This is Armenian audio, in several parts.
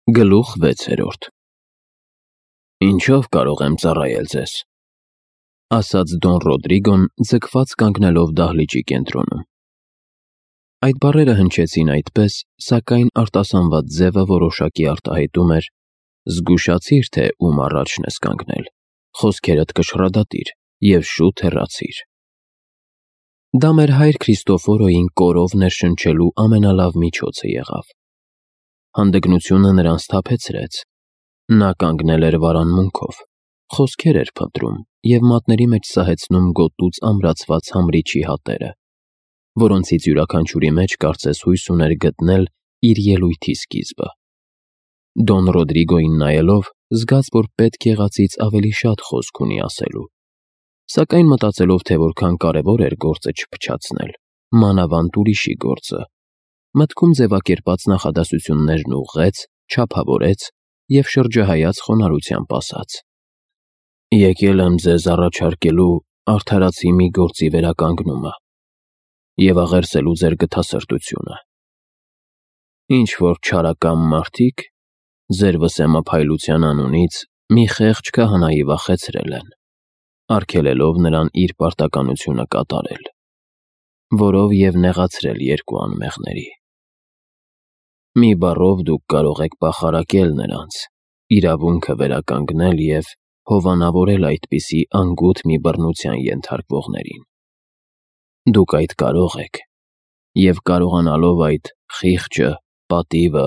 Գլուխ 6. Ինչով կարող եմ ծառայել ձեզ, ասաց Դոն Ռոդրիգոն, ձգված կանգնելով դահլիճի կենտրոնում։ Այդ բառերը հնչեցին այդպես, սակայն արտասանված ձևը որոշակի արտահայտում էր. զգուշացիր, թե ում առաջն ես կանգնել, խոսքերդ կշռադատիր և շուտ հեռացիր։ Դա մեր հայր Քրիստոֆորոյին կորով ներշնչելու ամենալավ միջոցը եղավ։ Հանդգնությունը նրան սթափեցրեց։ Նա կանգնել էր վարանմունքով, խոսքեր էր փնտրում և մատների մեջ սահեցնում գոտուց ամրացված համրիչի հատերը, որոնցից յուրաքանչյուրի մեջ կարծես հույս ուներ գտնել իր ելույթի սկիզբը։ Դոն Ռոդրիգոյին նայելով, զգաց, որ պետք եղածից ավելի շատ խոսք ունի ասելու, սակայն մտածելով, թե որքան կարևոր էր գործը չփչացնել, մանավանդ ուրիշի գործը, մտքում ձևակերպած նախադասություններն ուղղեց, չափավորեց և շրջահայաց խոնարհությամբ ասաց. «Եկել եմ ձեզ առաջարկելու արդարացի մի գործի վերականգնումը և աղերսելու ձեր գթասրտությունը։ Ինչ-որ չարակամ մարդիկ ձեր վսեմափայլության անունից մի խեղճ քահանայի վախեցրել են, արգելելով նրան իր պարտականությունը կատարել, որով և նեղացրել երկու անմեղների։ Մի բառով դուք կարող եք պախարակել նրանց, իրավունքը վերականգնել և հովանավորել այդպիսի անգութ մի բռնության ենթարկվողներին։ Դուք այդ կարող եք, և կարողանալով այդ խիղճը, պատիվը,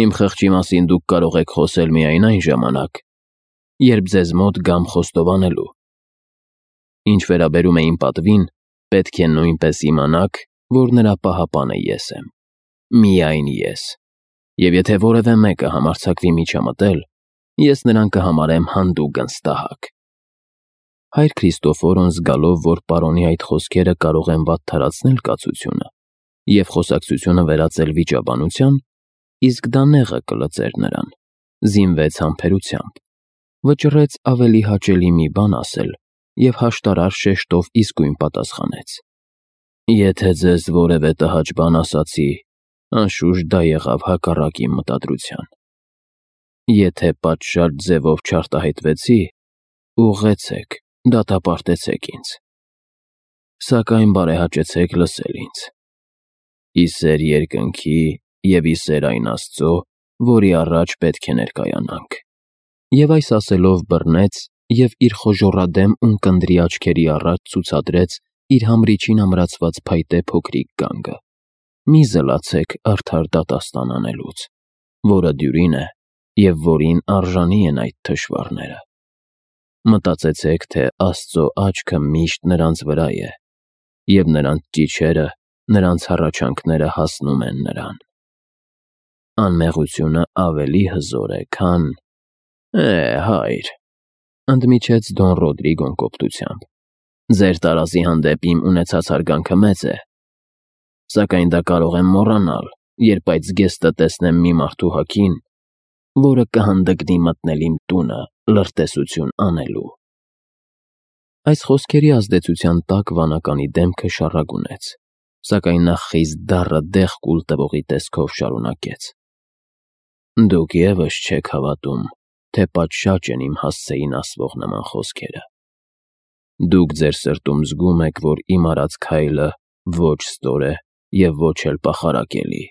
իմ խղճի մասին դուք կարող եք խոսել միայն այն ժամանակ, երբ ձեզ մոտ գամ խոստովանելու։ Ինչ վերաբերում է իմ պատվին, պետք է նույնպես իմանաք, որ նրա պահապանը ես եմ, միայն ես, և եթե որևէ մեկը համարձակվի միջամտել, ես նրան կհամարեմ հանդուգն ստահակ»։ Հայր Քրիստոֆորոն, զգալով, որ պարոնի այդ խոսքերը կարող են վատթարացնել կացությունը և խոսակցությունը վերածել վիճաբանության, իսկ դա նեղը կլծեր նրան, զինվեց համբերությամբ, վճռեց ավելի հաճելի մի բան ասել և հաշտարար շեշտով իսկույն պատասխանեց. «Եթե ձեզ որևէ տհաճ բան ասացի, անշուշտ դա եղավ հակառակ իմ մտադրության։ Եթե պատշաճ ձևով չարտահայտվեցի, ուղղեցեք, դատապարտեցեք ինձ, սակայն բարեհաճեցեք լսել ինձ։ Ի սեր երկնքի և ի սեր այն Աստծո, որի առաջ պետք է ներկայանանք»։ Եվ այս ասելով բռնեց և իր խոժոռադեմ ունկնդրի աչքերի առաջ ցուցադրեց իր համրիչին ամրացված փայտե փոքրիկ գանգը։ «Մի զլացեք արդար դատաստան անելուց, որը դյուրին է և որին արժանի են այդ թշվառները։ Մտածեցեք, թե Աստծո աչքը միշտ նրանց վրա է, և նրանց ճիչերը, նրանց հառաչանքները հասնում են նրան։ Անմեղությունը ավելի հզոր է, քան… հայր», ընդմիջեց Դոն Ռոդրիգոն կոպտությամբ, «ձեր տարազի հանդեպ իմ ունեցած հարգանքը մեծ է, սակայն դա կարող եմ մոռանալ, երբ այդ զգեստը տեսնեմ մի մարդու հագին, որը կհանդգնի մտնել իմ տունը լրտեսություն անելու»։ Այս խոսքերի ազդեցության տակ վանականի դեմքը շառագունեց, սակայն նա խիստ դառը դեղ կուլ տվողի տեսքով շարունակեց. «Դուք ևս չեք հավատում, թե պատշաճ են իմ հասցեին ասվող նման խոսքերը։ Դուք ձեր սրտում զգում եք, որ իմ արած քայլը ոչ ստոր է և ոչ էլ պախարակելի։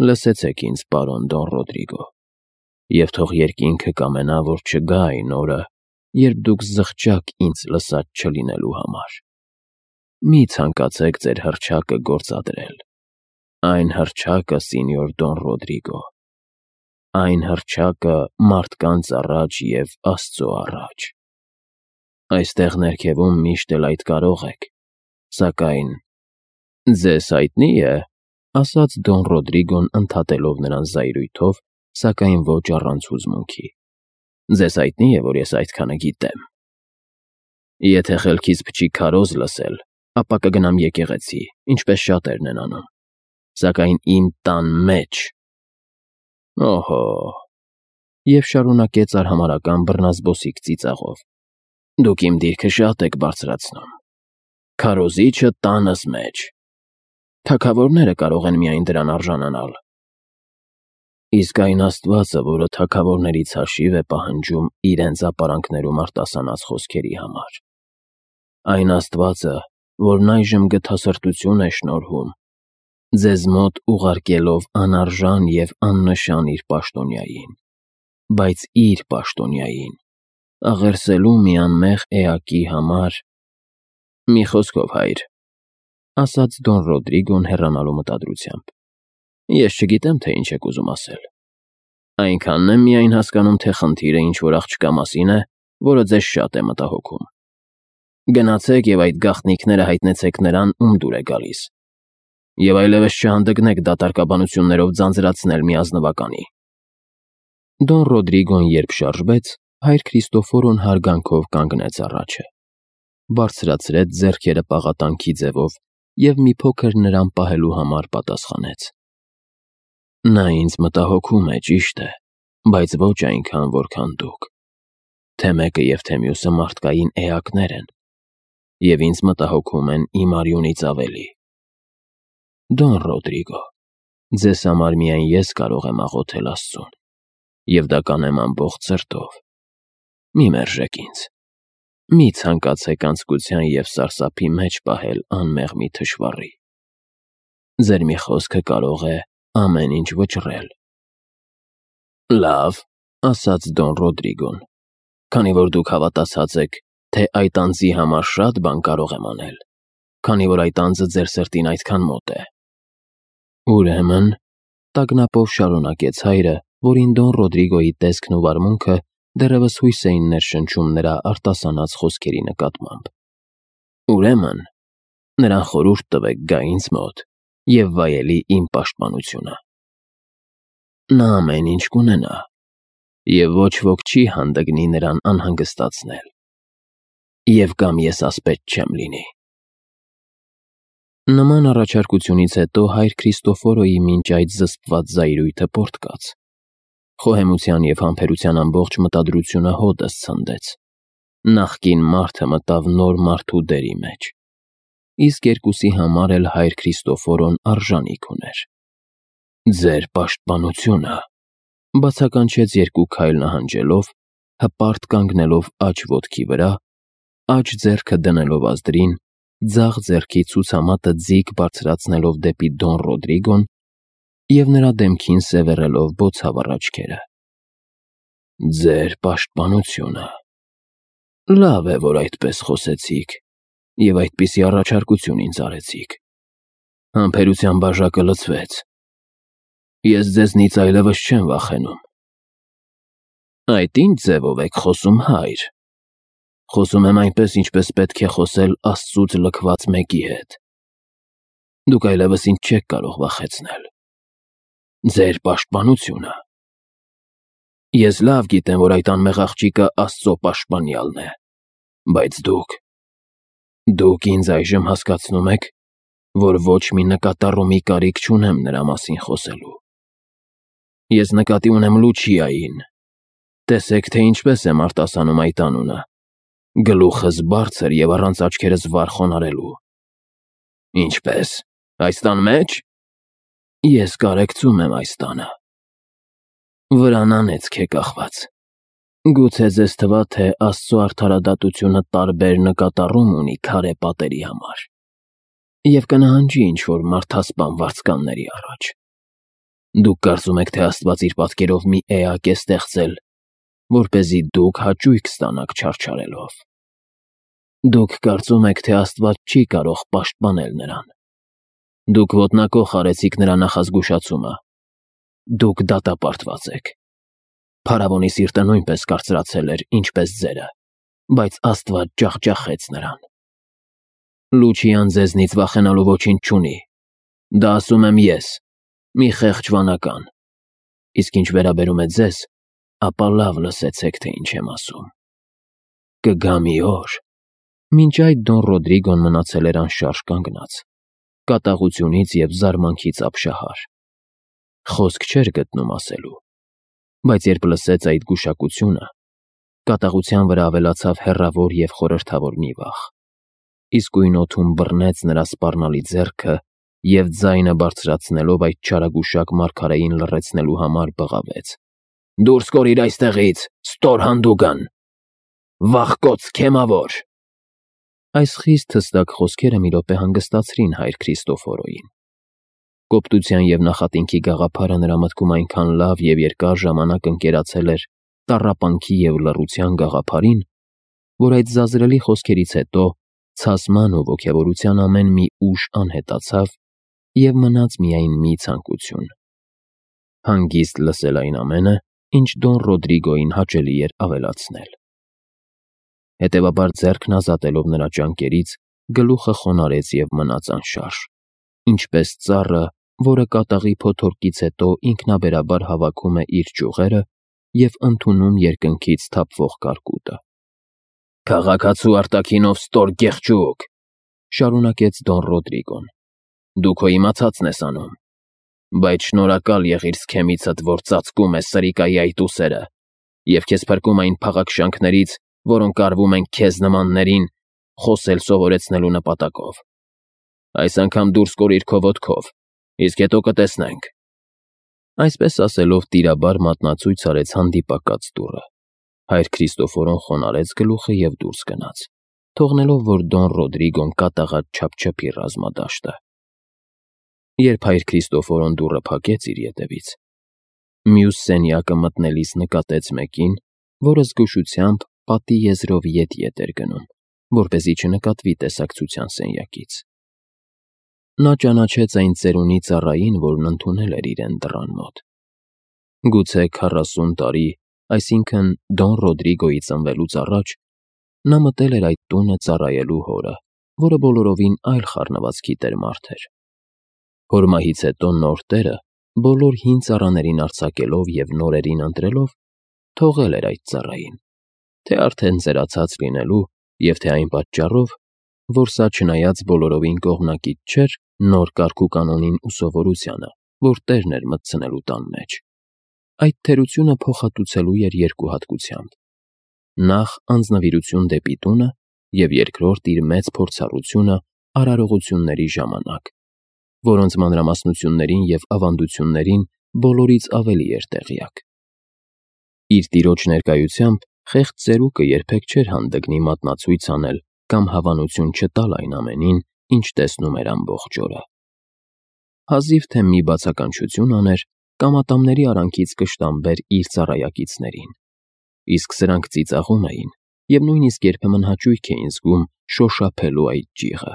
Լսեցեք ինձ, պարոն Դոն Ռոդրիգո, և թող երկինքը կամենա, որ չգա այն օրը, երբ դուք զղջաք ինձ լսած չլինելու համար։ Մի ցանկացեք ձեր հռչակը գործադրել, այն հռչակը, սենյոր Դոն Ռոդրիգո, այն հռչակը մարդկանց առաջ և Աստծո առաջ։ Այստեղ ներքևում միշտ էլ այդ կարող եք, սակայն… Ձեզ հայտնի է, — ասաց Դոն Ռոդրիգոն ընդհատելով նրան զայրույթով, սակայն ոչ առանց հուզմունքի, — ձեզ հայտնի է, որ ես այդքանը գիտեմ։ Եթե խելքից փչի քարոզ լսել, ապա կգնամ եկեղեցի, ինչպես շատերն են անում, սակայն իմ տան մեջ… Օհո… Եվ շարունակեց արհամարհական բռնազբոսիկ ծիծաղով. «Դուք իմ դիրքը շատ եք բարձրացնում։ Քարոզիչը տանս մեջ… Թագավորները կարող են միայն դրան արժանանալ»։ Իսկ այն Աստվածը, որը թագավորներից հաշիվ է պահանջում իրենց ապարանքներում արտասանած խոսքերի համար, այն Աստվածը, որն այժմ գթասրտություն է շնորհում, ձեզ մոտ ուղարկելով անարժան և աննշան իր պաշտոնյային, բայց իր պաշտոնյային, աղերսելու մի անմեղ էակի համար… Մի խոսքով, հայր, ասաց Դոն Ռոդրիգոն հեռանալու մտադրությամբ, ես չգիտեմ, թե ինչ եք ուզում ասել։ Այնքանն եմ միայն հասկանում, թե խնդիրը ինչ-որ աղջկա մասին է, որը ձեզ շատ է մտահոգում։ Գնացեք և այդ գաղտնիքները հայտնեցեք նրան, ում դուր է գալիս, և այլևս չհանդգնեք դատարկաբանություններով ձանձրացնել մի ազնվականի։ Դոն Ռոդրիգոն երբ շարժվեց, հայր Քրիստոֆորոն հարգանքով կանգնեց առաջը, բարձրացրեց ձեռքերը պաղատանքի ձևով և մի փոքր նրան պահելու համար պատասխանեց. Նա ինձ մտահոգում է, ճիշտ է, բայց ոչ այնքան, որքան դուք։ Թե մեկը և թե մյուսը մարդկային էակներ են, և ինձ մտահոգում են իմ արյունից ավելի։ Դոն Ռոդրիգո, ձեզ համար միայն ես կարող եմ աղոթել Աստծուն, և դա կանեմ ամբողջ սրտով։ Մի մերժեք ինձ, մի ցանկացեք անձկության և սարսափի մեջ պահել անմեղ մի թշվառի։ Ձեր մի խոսքը կարող է ամեն ինչ վճռել։ Լավ, ասաց Դոն Ռոդրիգոն, քանի որ դուք հավատացած եք, թե այդ անձի համար շատ բան կարող եմ անել, քանի որ այդ անձը ձեր սրտին այդքան մոտ է։ Ուրեմն, տագնապով շարունակեց հայրը, որին Դոն Ռոդրիգոյի տեսքն ու վարմունքը դեռևս հույս էին ներշնչում նրա արտասանած խոսքերի նկատմամբ։ Ուրեմն, նրան խորհուրդ տվեք գա ինձ մոտ և վայելի իմ պաշտպանությունը։ Նա ամեն ինչ կունենա, և ոչ ոք չի հանդգնի նրան անհանգստացնել, և կամ ես ասպետ չեմ լինի։ Նման առաջարկությունից հետո հայր Քրիստոֆորոյի մինչ այդ զսպված զայրույթը պոռթկաց։ Խոհեմության և համբերության ամբողջ մտադրությունը հօդս ցնդեց։ Նախկին մարդը մտավ նոր մարդու դերի մեջ, իսկ երկուսի համար էլ հայր Քրիստոֆորոն արժանիք ուներ։ Ձեր պաշտպանությունը, բացականչեց երկու քայլ նահանջելով, հպարտ կանգնելով աջ ոտքի վրա, աջ ձեռքը դնելով ազդրին, ձախ ձեռքի ցուցամատը ձիգ բարձրացնելով դեպի Դոն Ռոդրիգոն և նրա դեմքին սևեռելով բոցավառ աչքերը։ Ձեր պաշտպանությունը… Լավ է, որ այդպես խոսեցիք և այդպիսի առաջարկություն ինձ արեցիք։ Համբերության բաժակը լցվեց։ Ես ձեզնից այլևս չեմ վախենում։ Այդ ինչ ձևով եք խոսում, հայր։ Խոսում եմ այնպես, ինչպես պետք է խոսել Աստծուց լքված մեկի հետ։ Դուք այլևս ինձ չեք կարող վախեցնել։ Ձեր պաշտպանությունը… Ես լավ գիտեմ, որ այդ անմեղ աղջիկը Աստծո պաշտպանյալն է, բայց դուք ինձ այժմ հասկացնում եք, որ ոչ մի նկատառումի կարիք չունեմ նրա մասին խոսելու։ Ես նկատի ունեմ Լուչիային։ Տեսեք, թե ինչպես եմ արտասանում այդ անունը, գլուխս բարձր և առանց աչքերս վար խոնարհելու։ Ինչպե՞ս, այս տան մեջ… Ես կարեկցում եմ այս տանը։ Վրան անեծք է կախված։ Գուցե ձեզ թվա, թե Աստծո արդարադատությունը տարբեր նկատառում ունի քարե պատերի համար և կնահանջի ինչ-որ մարդասպան վարձկանների առաջ։ Դուք կարծում եք, թե Աստված իր պատկերով մի էակ է ստեղծել, որպեսզի դուք հաճույք ստանաք չարչարելով։ Դուք կարծում եք, թե Աստված չի կարող պաշտպանել նրան։ Դուք ոտնակոխ արեցիք նրա նախազգուշացումը։ Դուք դատապարտված եք։ Փարավոնի սիրտը նույնպես կարծրացել էր, ինչպես ձերը, բայց Աստված ջախջախեց նրան։ Լուչիան ձեզնից վախենալու ոչինչ չունի։ Դա ասում եմ ես, մի խեղճ վանական։ Իսկ ինչ վերաբերում է ձեզ, ապա լավ լսեցեք, թե ինչ եմ ասում։ Կգա մի օր… Մինչ այդ Դոն Ռոդրիգոն մնացել էր անշարժ կանգնած, կատաղությունից և զարմանքից ապշահար։ Խոսք չէր գտնում ասելու, բայց երբ լսեց այդ գուշակությունը, կատաղության վրա ավելացավ հեռավոր և խորհրդավոր մի վախ, իսկույն օդում բռնեց նրա սպառնալի ձեռքը և ձայնը բարձրացնելով այդ չարագուշակ մարգարեին լռեցնելու համար բղավեց. «Դուրս կորիր այստեղից, ստոր հանդուգն, վախկոց քեմավոր»։ Այս խիստ հստակ խոսքերը մի րոպե հանգստացրին հայր Քրիստոֆորոյին։ Կոպտության և նախատինքի գաղափարը նրա մտքում այնքան լավ և երկար ժամանակ ընկերացել էր տառապանքի և լռության գաղափարին, որ այդ զազրելի խոսքերից հետո ցասման ու ոգևորության ամեն մի ուժ անհետացավ և մնաց միայն մի ցանկություն՝ հանգիստ լսել այն ամենը, ինչ Դոն Ռոդրիգոյին հաճելի էր ավելացնել։ Հետևաբար, ձեռքն ազատելով նրա ճանկերից, գլուխը խոնարհեց և մնաց անշարժ, ինչպես ծառը, որը կատաղի փոթորկից հետո ինքնաբերաբար հավաքում է իր ճյուղերը և ընդունում երկնքից թափվող կարկուտը։ «Քաղաքացու արտաքինով ստոր գեղջուկ», շարունակեց Դոն Ռոդրիգոն, «դու քո իմացածն ես անում, բայց շնորհակալ եղիր սքեմիցդ, որ ծածկում է սրիկայի այդ ուսերը և քեզ փրկում այն փաղաքշանքներից, որոնք արվում են քեզ նմաններին խոսել սովորեցնելու նպատակով։ Այս անգամ դուրս կորիր քո ոտքով, իսկ հետո կտեսնենք»։ Այսպես ասելով տիրաբար մատնացույց արեց հանդիպակաց դուռը։ Հայր Քրիստոֆորոն խոնարհեց գլուխը և դուրս գնաց, թողնելով, որ Դոն Ռոդրիգոն կատաղած չափչփի ռազմադաշտը։ Երբ հայր Քրիստոֆորոն դուռը փակեց իր ետևից, մյուս սենյակը մտնելիս նկատեց մեկին, որը զգուշությամբ պատի եզրով ետ էր գնում, որպեսզի չնկատվի տեսակցության սենյակից։ Նա ճանաչեց այն ծերունի ծառային, որն ընդունել էր իրեն դռան մոտ։ Գուցե 40 տարի, այսինքն Դոն Ռոդրիգոյի ծնվելուց առաջ, նա մտել էր այդ տունը ծառայելու հորը, որը բոլորովին այլ խառնվածքի տեր մարդ էր։ Հոր մահից հետո նոր տերը, բոլոր հին ծառաներին արձակելով և նորերին ընտրելով, թողել էր այդ ծառային, թե արդեն ծերացած լինելու և թե այն պատճառով, որ սա չնայած բոլորովին կողմնակից չէր նոր կարգուկանոնին ու սովորությանը, որ տերն էր մտցնելու տան մեջ։ Այդ թերությունը փոխհատուցելու էր երկու հատկությամբ. նախ անձնվիրություն դեպի տունը և երկրորդ իր մեծ փորձառությունը արարողությունների ժամանակ, որոնց մանրամասնություններին և ավանդություններին բոլորից ավելի էր տեղյակ։ Իր տիրոջ ներկայությամբ խեղճ ծերուկը երբեք չէր հանդգնի մատնացույց անել կամ հավանություն չտալ այն ամենին, ինչ տեսնում էր ամբողջ օրը։ Հազիվ թե մի բացականչություն աներ կամ ատամների արանքից կշտամբեր իր ծառայակիցներին, իսկ սրանք ծիծաղում էին և նույնիսկ երբեմն հաճույք էին զգում շոշափելու այդ ջիղը,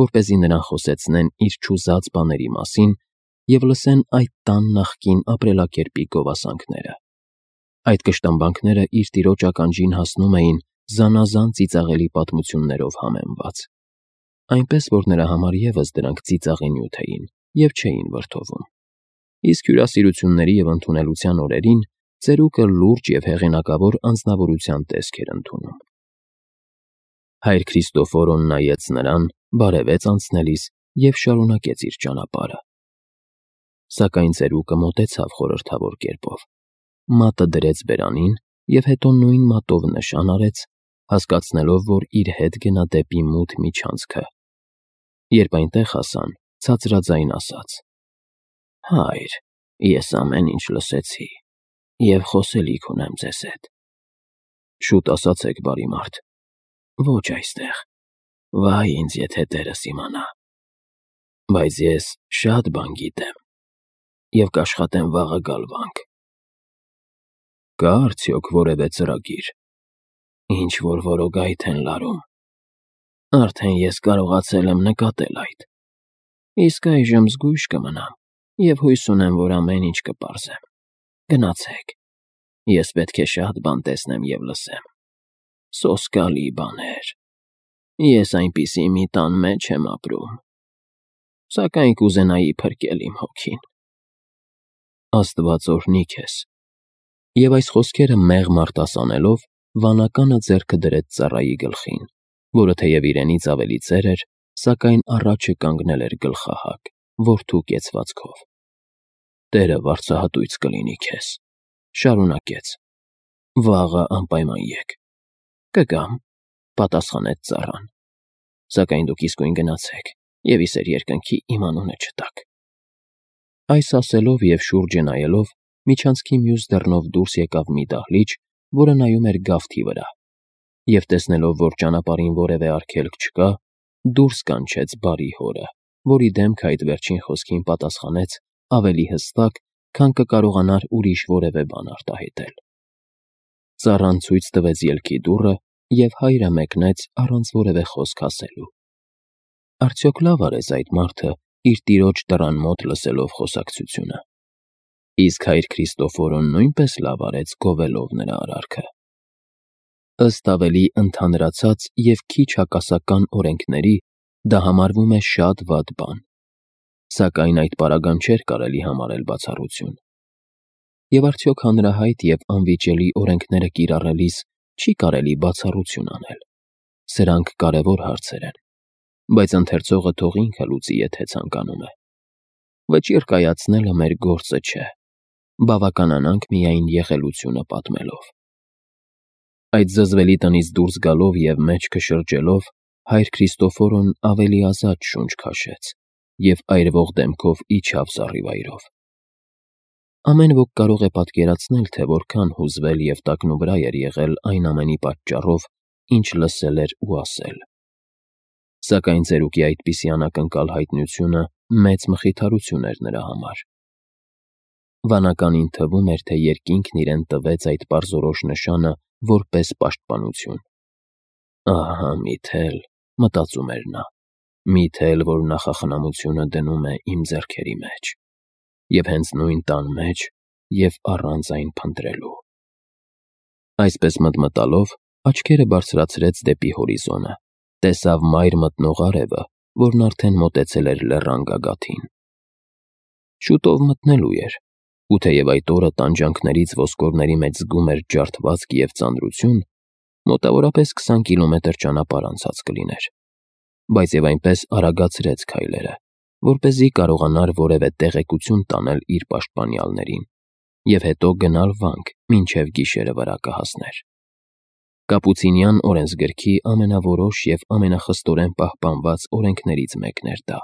որպեսզի նրան խոսեցնեն իր չուզած բաների մասին և լսեն այդ տան նախկին ապրելակերպի գովասանքները։ Այդ կշտամբանքները իր տիրոջ ականջին հասնում էին զանազան ծիծաղելի պատմություններով համեմված, այնպես որ նրա համար ևս դրանք ծիծաղի նյութ էին և չէին վրդովում։ Իսկ հյուրասիրությունների և ընդունելության օրերին ծերուկը լուրջ և հեղինակավոր անձնավորության տեսք էր ընդունում։ Հայր Քրիստոֆորոն նայեց նրան, բարևեց անցնելիս և շարունակեց իր ճանապարհը։ Սակայն ծերուկը մոտեցավ խորհրդավոր կերպով, մատը դրեց բերանին և հետո նույն մատով նշան արեց, հասկացնելով, որ իր հետ գնա դեպի մութ միջանցքը։ Երբ այնտեղ հասան, ցածրաձայն ասաց. «Հայր, ես ամեն ինչ լսեցի և խոսելիք ունեմ ձեզ հետ»։ «Շուտ ասացեք, բարի մարդ»։ «Ոչ այստեղ, վայ ինձ, եթե տերս իմանա։ Բայց ես շատ բան գիտեմ և կաշխատեմ վաղը գալ վանք»։ «Կա՞ արդյոք որևէ ծրագիր»։ «Ինչ-որ որոգայթ են լարում։ Արդեն ես կարողացել եմ նկատել այդ։ Իսկ այժմ զգույշ կմնամ և հույս ունեմ, որ ամեն ինչ կպարզեմ։ Գնացեք, ես պետք է շատ բան տեսնեմ և լսեմ։ Սոսկալի բաներ։ Ես այնպիսի մի տան մեջ եմ ապրում, սակայն կուզենայի փրկել իմ հոգին»։ «Աստված օրհնի քեզ»։ Եվ այս խոսքերը մեղմ արտասանելով, վանականը ձեռքը դրեց ծառայի գլխին, որը թեև իրենից ավելի ծեր էր, սակայն առաջը կանգնել էր գլխահակ, որդու կեցվածքով։ «Տերը վարձահատույց կլինի քեզ», շարունակեց։ «Վաղը անպայման եկ»։ «Կգամ», պատասխանեց ծառան։ «Սակայն դուք իսկույն գնացեք, և իսեր երկնքի իմ անունը չտաք։ Այս ասելով և շուրջը նայելով, միջանցքի մյուս դռնով դուրս եկավ մի դահլիճ, որը նայում էր գավթի վրա, և տեսնելով, որ ճանապարհին որևէ արգելք չկա, դուրս կանչեց բարի հորը, որի դեմքը այդ վերջին խոսքին պատասխանեց ավելի հստակ, քան կկարողանար ուրիշ որևէ բան արտահայտել։ Ծառան ցույց տվեց ելքի դուռը, և հայրը մեկնեց առանց որևէ խոսք ասելու։ Արդյոք լավ արեց այդ մարդը իր տիրոջ դռան մոտ լսելով խոսակցությունը։ Իսկ հայր Քրիստոֆորոն նույնպես լավ արեց գովելով նրա արարքը։ Ըստ ավելի ընդհանրացած և քիչ հակասական օրենքների, դա համարվում է շատ վատ բան, սակայն այդ պարագան չէր կարելի համարել բացառություն։ Եվ արդյոք հանրահայտ և անվիճելի օրենքները կիրառելիս չի կարելի բացառություն անել։ Սրանք կարևոր հարցեր են, բայց ընթերցողը թող ինքը լուծի, եթե ցանկանում է։ Վճիռ կայացնելը մեր գործը չէ, բավականանանք միայն եղելությունը պատմելով։ Այդ զզվելի տնից դուրս գալով և մեջքը շրջելով, հայր Քրիստոֆորոն ավելի ազատ շունչ քաշեց և այրվող դեմքով իջավ զառիվայրով։ Ամեն ոք կարող է պատկերացնել, թե որքան հուզվել և տակնուվրա էր եղել այն ամենի պատճառով, ինչ լսել էր ու ասել։ Սակայն ծերուկի այդպիսի անակնկալ հայտնությունը մեծ մխիթարություն էր նրա համար։ Վանականին թվում էր, թե երկինքն իրեն տվեց այդ պարզորոշ նշանը որպես պաշտպանություն։ «Ահա միթել», մտածում էր նա, «միթել, որ նախախնամությունը դնում է իմ ձեռքերի մեջ, և հենց նույն տան մեջ և առանց այն փնտրելու»։ Այսպես մտմտալով, աչքերը բարձրացրեց դեպի հորիզոնը, տեսավ մայր մտնող արևը, որն արդեն մոտեցել էր լեռան գագաթին։ Շուտով մտնելու էր, ու թեև այդ օրը տանջանքներից ոսկորների մեջ զգում էր ջարդվածք և ծանրություն, մոտավորապես 20 կիլոմետր ճանապարհ անցած կլիներ, բայց և այնպես արագացրեց քայլերը, որպեսզի կարողանար որևէ տեղեկություն տանել իր պաշտպանյալներին և հետո գնալ վանք, մինչև գիշերը վրա կհասներ։ Կապուցինյան օրենսգրքի ամենավորոշ և ամենախստորեն պահպանված օրենքներից մեկն էր դա։